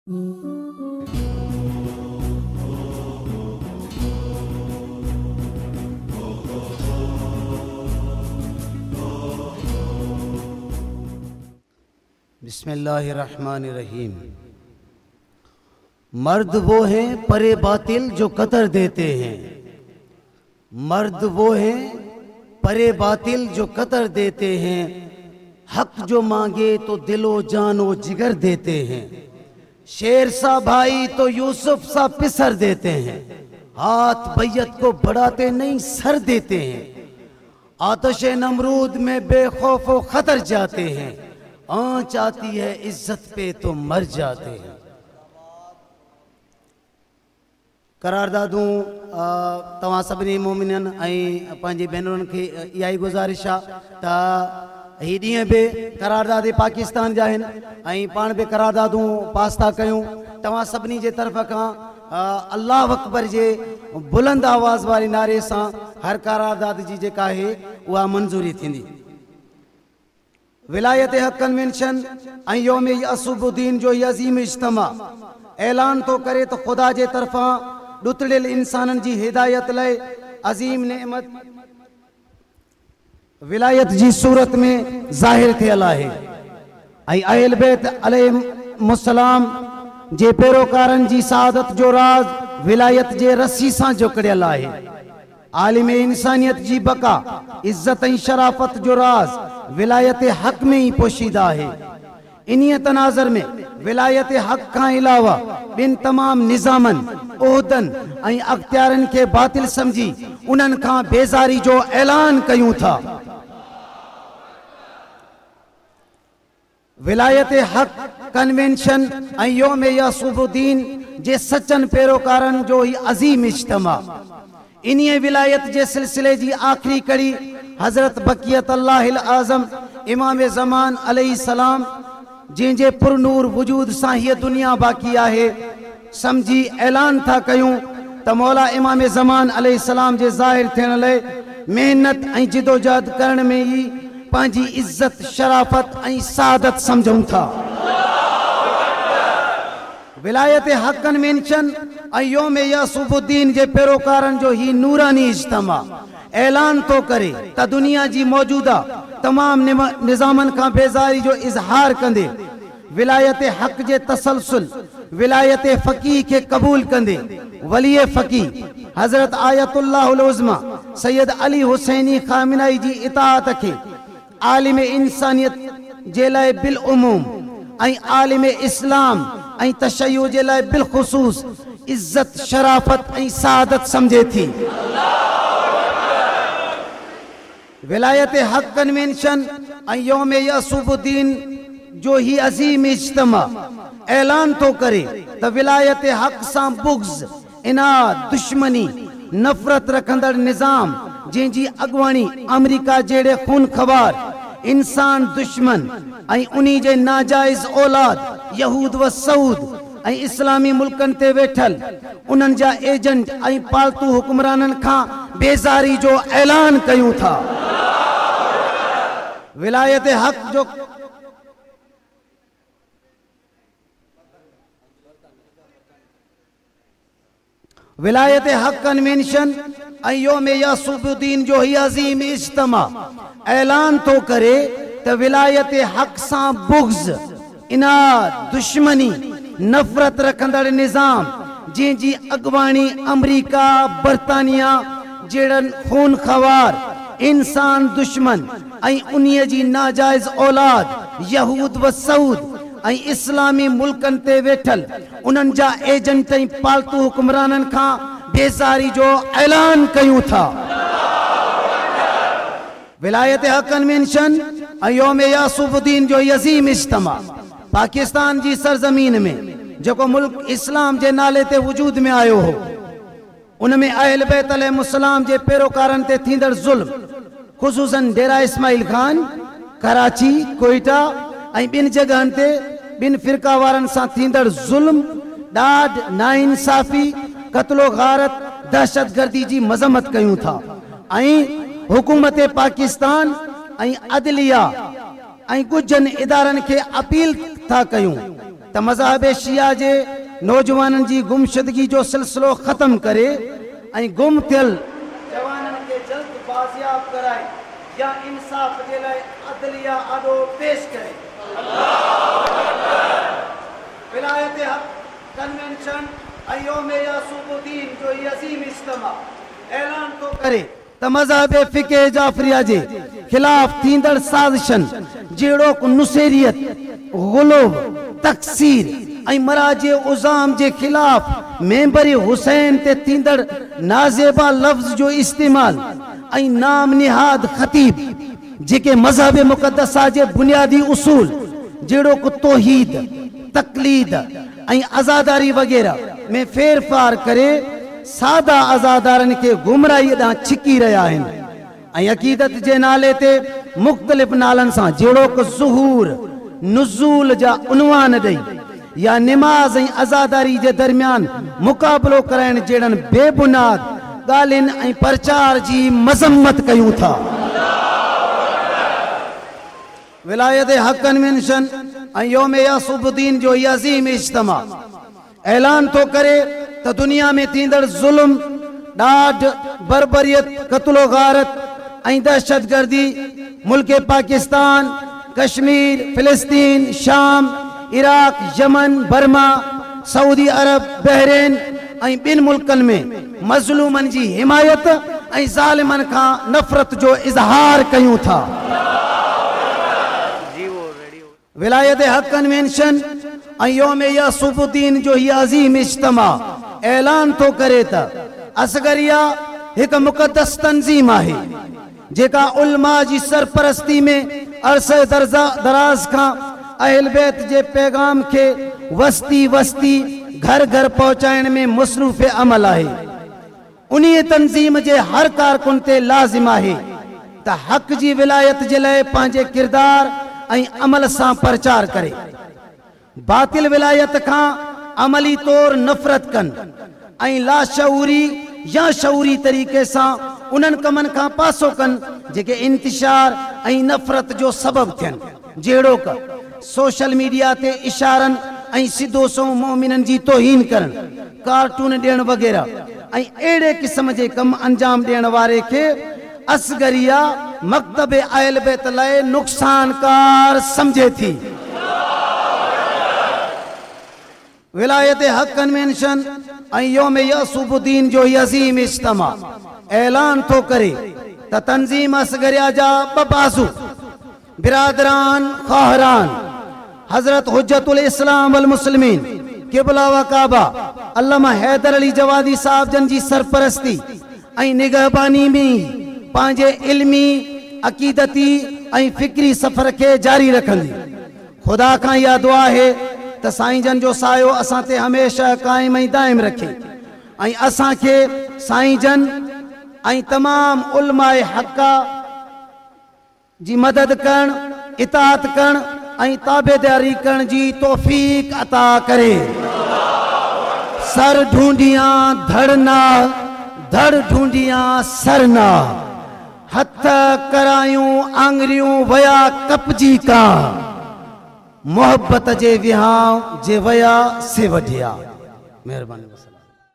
बिस्मिल्लाहिर्रहमानिर्रहीम। मर्द वो हैं परे बातिल जो कतर देते हैं, मर्द वो हैं परे बातिल जो कतर देते हैं, हक जो मांगे तो दिलो जानो जिगर देते हैं, शेर सा भाई तो यूसुफ सा पिसर देते हैं, हाथ बैयत को बढ़ाते नहीं सर देते हैं, आतश नमरूद में बेखौफ व खतर जाते हैं, आँच आती है इज्जत पे तो मर जाते हैं। करारदादूं तव्हां सभिनी मोमिननि ऐं पंहिंजी भेनरुनि खे इहा ई गुज़ारिश आहे त हीअ ॾींहं बि करारदाद पाकिस्तान जा आहिनि ऐं पाण बि करारदादूं पास था कयूं। तव्हां सभिनी जे तरफ़ खां अल्लाह अकबर जे बुलंद आवाज़ वारे नारे सां हर करारदाद जी जेका आहे उहा मंज़ूरी थींदी। विलायत हक कन्वेंशन ऐं यौम असुबुद्दीन जो हीउ अज़ीम इज्तिमा ऐलान थो करे त ख़ुदा जे तरफ़ां ॾुतड़ियल इंसाननि जी हिदायत लाइ अज़ीम नेमत विलायत जी सूरत में ज़ाहिर थियल आहे ऐं अहल बैत अलैहिमुस्सलाम जे पैरोकारनि जी सआदत जो राज़ विलायत जे रस्सी सां जुकड़ियल आहे। आलिम इंसानियत जी बका इज़त ऐं शराफ़त जो राज़ विलायत हक़ में ई पोशीदा आहे। इन्हीअ तनाज़र में विलायत हक़ खां अलावा ॿिनि तमाम निज़ामनि, उहदनि ऐं अख़्तियारनि खे बातिल सम्झी उन्हनि खां बेज़ारी जो ऐलान कयूं था। विलायत हक़ कन्वेंशन ऐं यौम यसुबुद्दीन जे सचनि पैरोकारनि जो हीउ अज़ीम इज्तिमा इन्हीअ विलायत जे सिलसिले जी आख़िरी कड़ी हज़रत बकियत अल्लाह आज़म इमाम ज़मान अलैहिस्सलाम जंहिंजे पुरनूर वजूद सां हीअ दुनिया बाक़ी आहे सम्झी ऐलान था कयूं त मौला इमाम ज़मान अलैहिस्सलाम जे ज़ाहिर थियण लाइ महिनत ऐं जिदोजहद करण में ई पंहिंजी इज़त, शराफ़त ऐं सआदत सम्झूं था। विलायत हक़ कन्वेंशन ऐं यौम यसुबुद्दीन जे पैरोकारनि जो हीउ नूरानी इज्तिमा ऐलान थो करे त दुनिया जी मौजूदा तमाम निज़ामनि खां बेज़ारी जो इज़हार कंदे विलायत हक़ जे तसलसुल विलायत फ़क़ीह खे क़बूल कंदे वली फ़क़ीह हज़रत आयतुल्लाह उज़्मा सैयद अली हुसैनी ख़ामिनाई जी इताअत खे आलिम इंसानियत जे लाइ बिलउमूम ऐं आलिम इस्लाम ऐं तशय्यु जे लाइ बिलख़ुसूस इज़त, शराफ़त ऐं सआदत सम्झे थी। विलायत हक़ कन्वेंशन ऐं यौम यसुबुद्दीन जो हीउ अज़ीम इज्तिमा ऐलान थो करे त विलायत हक़ सां बुग़्ज़, इनाद, दुश्मनी, नफ़रत रखंदड़ निज़ाम जंहिंजी अॻुवाणी अमरीका जहिड़े खूनख़वार इंसान दुश्मन ऐं उन्ही जे नाजाइज़ औलाद यहूद व सऊद ऐं इस्लामी मुल्कनि ते वेठल उन्हनि जा एजेंट ऐं पालतू हुक्मराननि खां बेज़ारी जो ऐलान कयूं था। विलायत हक़ जो विलायत हक़ कन्वेंशन ऐं यौम यसुबुद्दीन जो हीउ अज़ीम इज्तिमा ऐलान थो करे त विलायत हक़ सां बुग़्ज़, इनाद, दुश्मनी, नफ़रत रखंदड़ निज़ाम जंहिंजी अॻुवाणी अमरीका, बर्तानिया जहिड़नि खूनख़वार इंसान दुश्मन ऐं उन्हीअ जी नाजाइज़ औलाद यहूद व सऊद ऐं इस्लामी मुल्कनि ते वेठल उन्हनि जा एजेंट ऐं पालतू हुक्मराननि खां बेज़ारी जो ऐलान कयूं था। विलायत हक़ कन्वेंशन ऐं यौम यसुबुद्दीन जो अज़ीम इज्तिमा पाकिस्तान जी सरज़मीन में जेको मुल्क इस्लाम जे नाले ते वजूद में आयो हो उन में अहल बैत अलैहिस्सलाम जे पैरोकारनि ते थींदड़ ज़ुल्म ख़ुसूसन डेरा इस्माइल खान, कराची, कोयटा ऐं ॿिनि जॻहनि ते ॿिनि फ़िरका वारनि सां थींदड़ ज़ुल्म, ॾाढ, नाइंसाफ़ी, कत्लो गारत, दहशतगर्दी जी मज़म्मत कयूं था ऐं हुकूमत पाकिस्तान ऐं अदलिया ऐं गुजनि इदारनि खे अपील था कयूं त ته مذهب شيعه جي نوجوانن جي گمشدگي جو سلسلو ختم ڪري ۽ گم ٿيل جوانن کي جلد بازياب ڪرائي يا انصاف جي لاء عدليه آڏو پيش ڪري. ولايت حق ڪنوينشن ۽ يوم يعصوب الدين جو هي عظيم اجتماع اعلان ٿو ڪري ته مذهب فقه جعفريه جي خلاف ٿيندڙ سازشن جهڙوڪ نصيريت، غلو، تڪثير ۽ مراجع عظام جي خلاف منبر حسين تي ٿيندڙ نازيبا لفظ جو استعمال ۽ نام نهاد خطيب جيڪي مذهب مقدسه جي بنيادي اصول جهڙوڪ توحيد، تقليد ۽ عزاداري وغيره ۾ ڦيرڦار ڪري سادا عزادارن کي گمراهيء ڏانهن ڇڪي رهيا آهن ۽ عقيدت جي نالي تي مختلف نالن سان جهڙوڪ ظهور، نزول جا عنوان ڏئي يا نماز ۽ عزاداري جي درميان مقابلو ڪرائڻ جهڙن بي بنياد ڳالهين ۽ پرچار جي مذمت ڪيون ٿا. ولايت حق ڪنوينشن ۽ يوم يعصوب الدين جو هي عظيم اجتماع اعلان ٿو ڪري ته دنيا ۾ ٿيندڙ ظلم، ڏاڍ، بربريت، قتل و غارت ۽ دهشتگردي ملڪ پاڪستان، ڪشمير، فلسطين، شام، عراق، يمن، برما، سعودي عرب، بحرين ۽ ٻين ملڪن ۾ مظلومن جي حمايت ۽ ظالمن کان نفرت جو اظهار ڪيون ٿا. ولايت حق ڪنوينشن ۽ يوم يعصوب الدين جو هي عظيم اجتماع اعلان ٿو ڪري ته اصغريه هڪ مقدس تنظيم آهي جيڪا علماء جي سرپرستي ۾ عرصه دراز کان اهل بيت جي پيغام کي وستي وستي گهر گهر پهچائڻ ۾ مصروف عمل آهي. انهيء تنظيم جي هر ڪارڪن تي لازم آهي ته حق جي ولايت جي لاء پنهنجي ڪردار ۽ عمل سان پرچار ڪري. باطل ولايت کان عملي طور نفرت ڪن ۽ لاشعوري يا شعوري طريقي سان انهن ڪمن کان پاسو ڪن جيڪي انتشار ۽ نفرت جو سبب ٿين جهڙوڪ، سوشل ميڊيا تي اشارن ۽ سڌو سنئون مؤمنن جي توهين ڪرڻ، ڪارٽون ڏيڻ وغيره ۽ اهڙي قسم جي ڪم انجام ڏيڻ واري کي اصغريه مڪتب اهل بيت لاء نقصانڪار سمجهي ٿي. ولايت حق ڪنوينشن ۽ يوم يعصوب الدين جو هي عظيم اجتماع اعلان ٿو ڪري ته تنظيم اصغريه جا ٻه بازو برادران خواهران حضرت حجة الاسلام والمسلمين قبله و ڪعبه علامه حيدر علي جوادي صاحب جن جي سرپرستي ۽ نگهباني ۾ ئي پنهنجي علمي، عقيدتي ۽ فڪري سفر کي جاري رکندي. خدا کان اها دعا آهي ته سائين جن جو سايو اسان تي هميشه قائم ۽ دائم رکي ۽ اسان کي سائين جن ۽ تمام علماء حقه جي مدد ڪرڻ، اطاعت ڪرڻ ۽ تابعداري ڪرڻ جي توفيق عطا ڪري. سر ڍونڍيان ڌڙ ناهه، ڌڙ ڍونڍيان سر ناهه. هٿ ڪرايون آڱريون ويا ڪپجي ڪانهه. محبت جي وهانء جي ويا سي وڍيا. مهرباني.